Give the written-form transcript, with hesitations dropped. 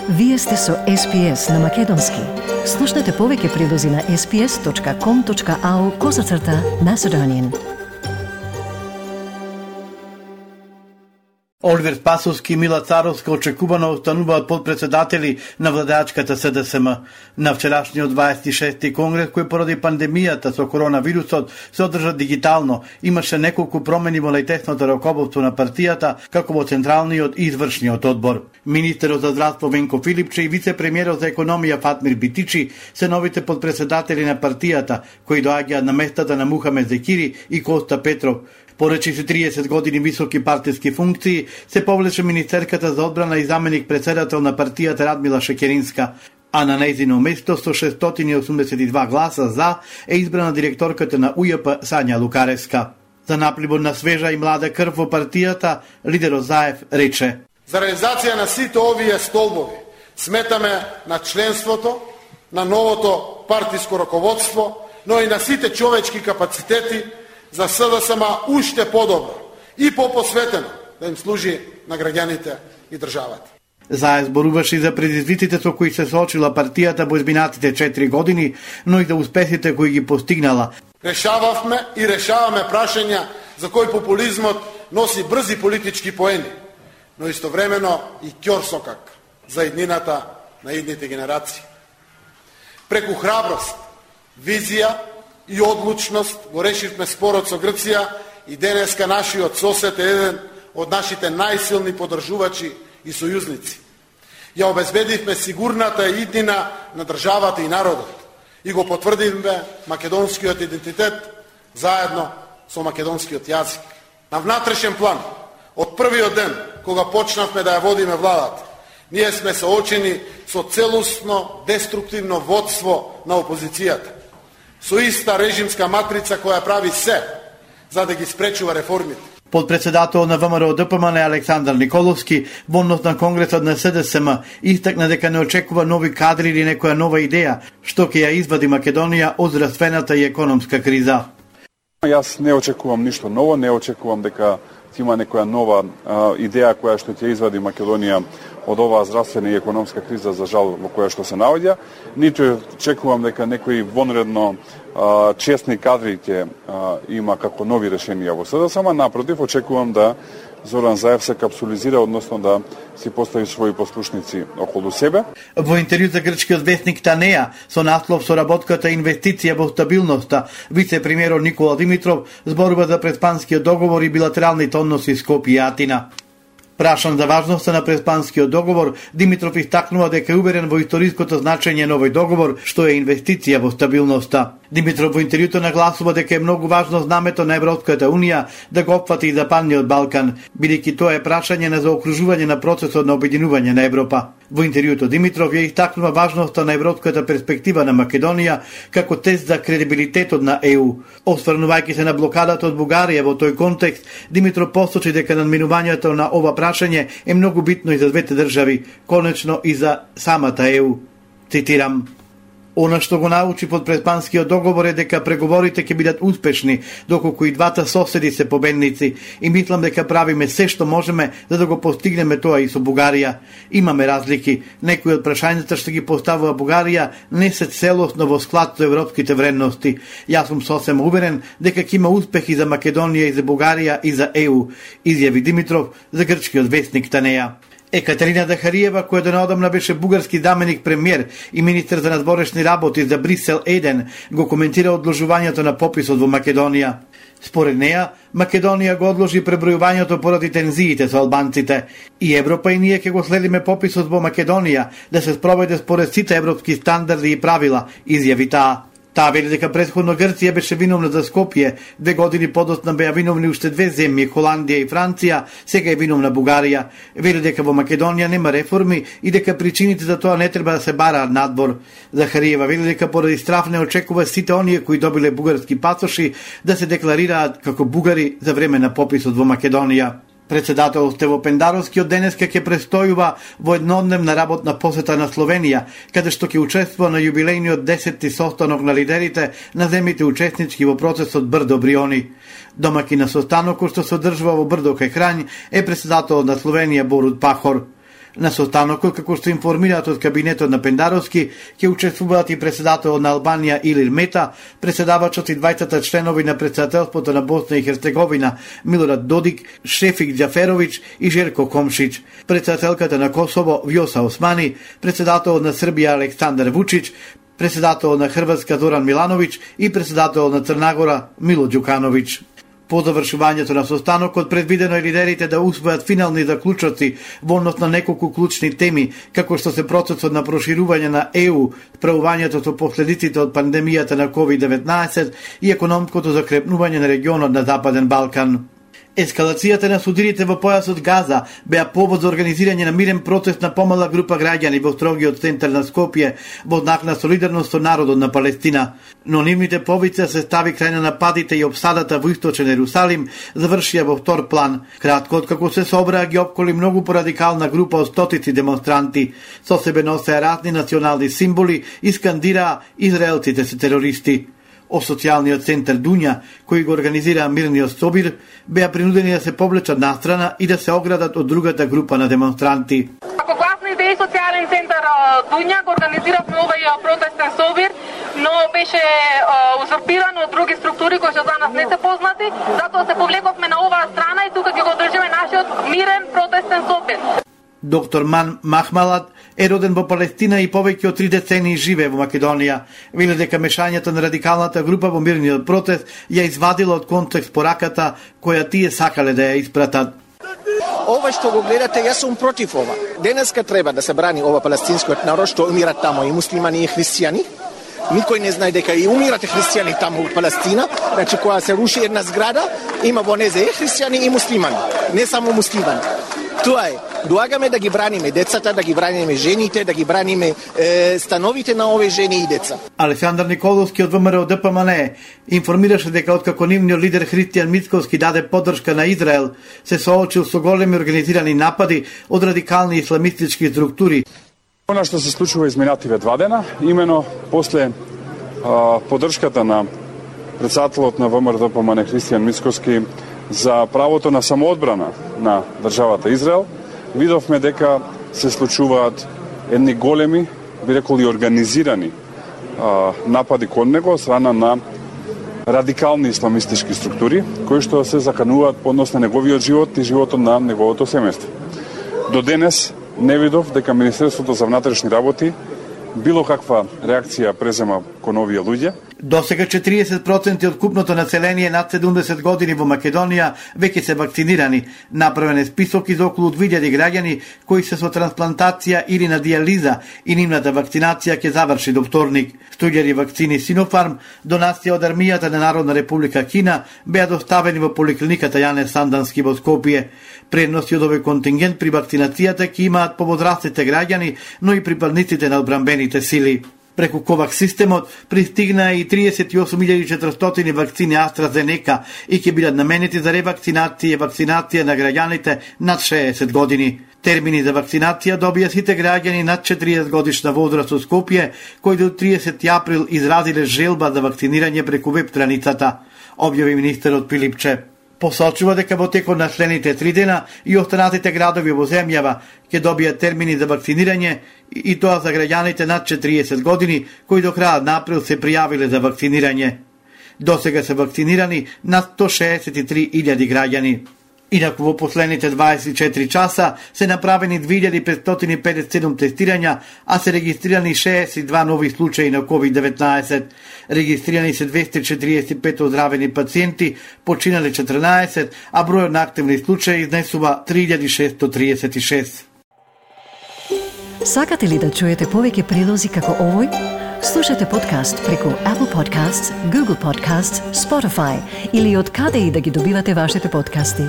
Вие сте со SPS на Македонски. Слушнете повеќе прилози на sps.com.au/Macedonian. Оливер Спасовски и Мила Царовска очекувано остануваат подпредседатели на владеачката СДСМ. На вчерашниот 26-ти конгрес, кој поради пандемијата со коронавирусот се одржа дигитално, имаше неколку промени во најтесното раководство на партијата, како во Централниот и Извршниот одбор. Министерот за здравство Венко Филипче и вице-премиерот за економија Фатмир Битичи се новите подпредседатели на партијата, кои доаѓаат на местата на Мухамед Зекири и Коста Петров. Поречи се 30 години високи партиски функции, се повлече министерката за одбрана и заменик председател на партијата Радмила Шекеринска, а на нејзино место со 682 гласа за е избрана директорката на УЈП Сања Лукаревска. За напливот на свежа и млада крв во партијата, лидерот Заев рече: За реализација на сите овие столбови сметаме на членството, на новото партиско раководство, но и на сите човечки капацитети за СДСМ уште подобро и попосветено да им служи на граѓаните и државата. Заев зборуваше и за предизвиците со кои се соочила партијата во изминатите 4 години, но и за успесите кои ги постигнала. Решававме и решаваме прашања за кои популизмот носи брзи политички поени, но истовремено и ќорсокак за иднината на идните генерации. Преку храброст, визија и одлучност го решивме спорот со Грција и денеска нашиот сосед е еден од нашите најсилни поддржувачи и сојузници. Ја обезбедивме сигурната иднина на државата и народот и го потврдивме македонскиот идентитет заедно со македонскиот јазик. На внатрешен план, од првиот ден кога почнавме да ја водиме владата, ние сме соочени со целосно деструктивно водство на опозицијата, со иста режимска матрица која прави се за да ги спречува реформите. Подпредседател на ВМРО ДПМН Александар Николовски во однос на конгресот на СДСМ истакна дека не очекува нови кадри или некоја нова идеја што ќе ја извади Македонија од здравствената и економска криза. Јас не очекувам ништо ново, не очекувам дека има некоја нова идеја која што ќе извади Македонија од оваа здравствена и економска криза, за жал, во која што се наоѓа. Ниту очекувам дека некои вонредно честни кадри ќе има како нови решенија во СДСМ. Напротив, очекувам да Зоран Заев се капсулизира, односно да си постави своји послушници околу себе. Во интервју за грчкиот вестник Танеа со наслов "Соработката инвестиција во стабилноста", вице-премиерот Никола Димитров зборува за преспанскиот договор и билатералните односи Скопје и Атина. Прашан за важноста на преспанскиот договор, Димитров истакнува дека е уверен во историското значење на овој договор, што е инвестиција во стабилноста. Димитров во интервјуто нагласува дека е многу важно знамето на Европската Унија да го опфати и Западниот Балкан, бидејќи тоа е прашање на заокружување на процесот на обединување на Европа. Во интервјуто Димитров ја истакнува важноста на европската перспектива на Македонија како тест за кредибилитетот на ЕУ. Осврнувајќи се на блокадата од Бугарија во тој контекст, Димитров посочи дека надминувањето на ова прашање е многу битно и за двете држави, конечно и за самата ЕУ. Цитирам: "Она што го научи под преспанскиот договор е дека преговорите ќе бидат успешни, доколку и двата соседи се победници, и мислам дека правиме се што можеме за да го постигнеме тоа и со Бугарија. Имаме разлики. Некои од прашањата што ги поставува Бугарија не се целосно во склад со европските вредности. Јас сум сосем уверен дека ќе има успехи за Македонија и за Бугарија и за ЕУ", изјави Димитров за грчкиот вестник Танеа. Екатерина Дахариева, која донаодамна беше бугарски заменик премиер и министер за надворешни работи за Брисел 1, го коментира одложувањето на пописот во Македонија. Според неа, Македонија го одложи пребројувањето поради тензиите со албанците. И Европа и ние ќе го следиме пописот во Македонија да се спроведе според сите европски стандарди и правила, изјави таа. Таа вели дека претходно Грција беше виновна за Скопје, 2 години подоцна беа виновни уште 2 земји, Холандија и Франција, сега е виновна Бугарија. Вели дека во Македонија нема реформи и дека причините за тоа не треба да се бараат надвор. Захариева вели дека поради страф не очекува сите оние кои добиле бугарски пасоши да се декларираат како бугари за време на пописот во Македонија. Председател Стево Пендаровски од денеска ќе престојува во еднодневна работна посета на Словенија, каде што ќе учествува на јубилејниот 10-ти состанок на лидерите на земјите учеснички во процесот Брдо Бриони. Домаќин на состанокот што се одржува во Брдо кај Храњ е председателот на Словенија Борут Пахор. На состанокот, како што информираат од кабинетот на Пендаровски, ќе учествуваат и председателот на Албанија Илир Мета, председавачот и двајцата членови на председателството на Босна и Херцеговина Милорад Додик, Шефик Џаферовиќ и Жерко Комшиć, председателката на Косово Вјоса Османи, председателот на Србија Александар Вучиć, председателот на Хрватска Зоран Милановиć и председателот на Црна Мило Ѓукановиć. По завршувањето на состанокот предвидено е лидерите да усвојат финални заклучоци во однос на неколку клучни теми, како што се процесот на проширување на ЕУ, справувањето со последиците од пандемијата на COVID-19 и економското закрепнување на регионот на Западен Балкан. Ескалацијата на судирите во појасот Газа беа повод за организирање на мирен протест на помала група граѓани во строгиот центар на Скопје во знак на солидарност со народот на Палестина. Но нивните повици се стави крај на нападите и обсадата во источен Ерусалим завршија во втор план. Кратко откако се собраа ги опколи многу порадикална група од стотици демонстранти. Со себе носеа разни национални символи и скандираа израелците се терористи. О социјалниот центар Дуња, кој го организираа мирниот собир, беа принудени да се повлечат настрана и да се оградат од другата група на демонстранти. Како гласна идеја социјален центар Дуња го организиравме овој протестен собир, но беше узурпиран од други структури кои што за нас не се познати, затоа се повлековме на оваа страна и тука ќе го одржиме нашиот мирен протестен собир. Доктор Ман Махмалат е роден во Палестина и повеќе од 3 децении живее во Македонија. Вели дека мешањето на радикалната група во мирниот протест ја извадила од контекст пораката која тие сакале да ја испратат. Ова што го гледате, јас сум против ова. Денеска треба да се брани ова палестинскиот народ што умират тамо и муслимани и христијани. Никој не знае дека и умирате христијани таму во Палестина. Значи, кога се руши една зграда, има во незе и христијани и муслимани, не само муслимани. Тоа е. Доагаме да ги браниме децата, да ги браниме жените, да ги браниме становите на овие жени и деца. Александар Николовски од ВМРО ДПМН информираше дека откако нивниот лидер Христијан Мицковски даде поддршка на Израел, се соочил со големи организирани напади од радикални исламистички структури. Она што се случува изминативе 2 дена, имено после поддршката на председателот на ВМРО ДПМН Христијан Мицковски за правото на самоодбрана на државата Израел, видовме дека се случуваат едни големи, би рекол и организирани напади кон него од страна на радикални исламистички структури, кои што се закануваат по однос на неговиот живот и животот на неговото семејство. До денес не видов дека Министерството за внатрешни работи било каква реакција презема кон овие луѓе. Досега 40% од купното население над 70 години во Македонија веќе се вакцинирани. Направен е список из околу 2000 граѓани кои се со трансплантација или на диализа и нивната вакцинација ќе заврши до вторник. 100.000 вакцини Синофарм, донација од армијата на Народна република Кина, беа доставени во поликлиниката Јане Сандански во Скопје. Предности од овој контингент при вакцинацијата ќе имаат повозрастните граѓани, но и припадниците на одбранбените сили. Преку ковакс системот пристигнаа и 38.400 вакцини AstraZeneca и ќе бидат наменети за ревакцинација и вакцинација на граѓаните над 60 години. Термини за вакцинација добија сите граѓани над 40 годишна возраст од Скопје, кои до 30 април изразиле желба за вакцинирање преку веб страницата, објави министерот Пилипче. Посочува дека во текот на следните 3 дена и останатите градови во земјава ќе добијат термини за вакцинирање и тоа за граѓаните над 40 години кои до крајот на април се пријавиле за вакцинирање. Досега се вакцинирани над 163.000 граѓани. Инаку во последните 24 часа се направени 2557 тестирања, а се регистрирани 62 нови случаи на COVID-19. Регистрирани се 245 оздравени пациенти, починале 14, а бројот на активни случаи изнесува 3636. Сакате ли да чуете повеќе прилози како овој? Слушате подкаст преку Apple Podcasts, Google Podcasts, Spotify или од каде и да ги добивате вашите подкасти.